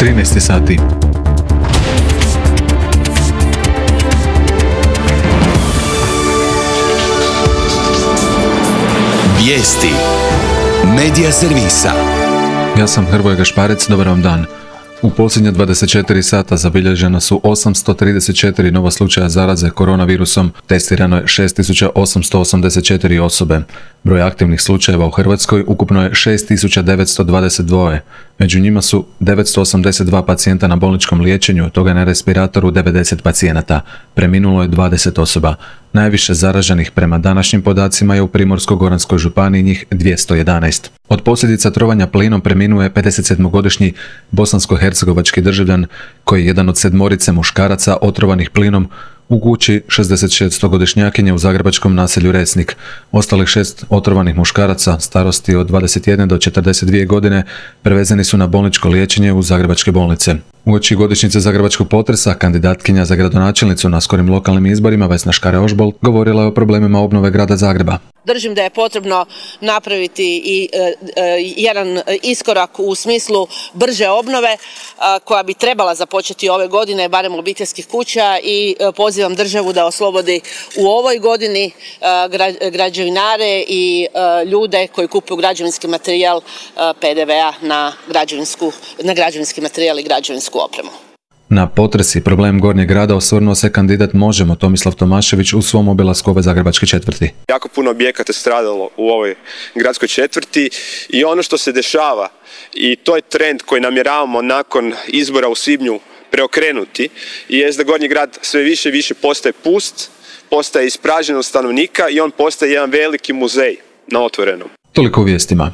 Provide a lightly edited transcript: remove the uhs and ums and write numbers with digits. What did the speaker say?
13 sati. Vijesti Medija servisa. Ja sam Hrvoje Gašparec, dobar vam dan. U posljednja 24 sata zabilježena su 834 nova slučaja zaraze koronavirusom, testirano je 6884 osobe. Broj aktivnih slučajeva u Hrvatskoj ukupno je 6922. Među njima su 982 pacijenta na bolničkom liječenju, od toga na respiratoru 90 pacijenata. Preminulo je 20 osoba. Najviše zaraženih prema današnjim podacima je u Primorsko-goranskoj županiji, njih 211. Od posljedica trovanja plinom preminuo je 57-godišnji bosansko-hercegovački državljan koji je jedan od 7 muškaraca otrovanih plinom u kući 66-godišnjakinje u zagrebačkom naselju Resnik. Ostalih 6 otrovanih muškaraca starosti od 21 do 42 godine prevezeni su na bolničko liječenje u zagrebačke bolnice. Uoči godišnjice zagrebačkog potresa, kandidatkinja za gradonačelnicu na skorim lokalnim izborima Vesna Škare-Ožbolt govorila je o problemima obnove grada Zagreba. Držim da je potrebno napraviti i jedan iskorak u smislu brže obnove koja bi trebala započeti ove godine, barem obiteljskih kuća, i pozivam državu da oslobodi u ovoj godini građevinare i ljude koji kupuju građevinski materijal PDV-a na građevinski materijal i građevinsku opremu. Na potres i problem Gornjeg grada osvrnuo se kandidat Možemo Tomislav Tomašević u svom obilasku ove zagrebačke četvrti. Jako puno objekata stradalo u ovoj gradskoj četvrti i ono što se dešava, i to je trend koji namjeravamo nakon izbora u svibnju preokrenuti, je da Gornji grad sve više i više postaje pust, postaje ispražnjen od stanovnika i on postaje jedan veliki muzej na otvorenom. Toliko u vijestima.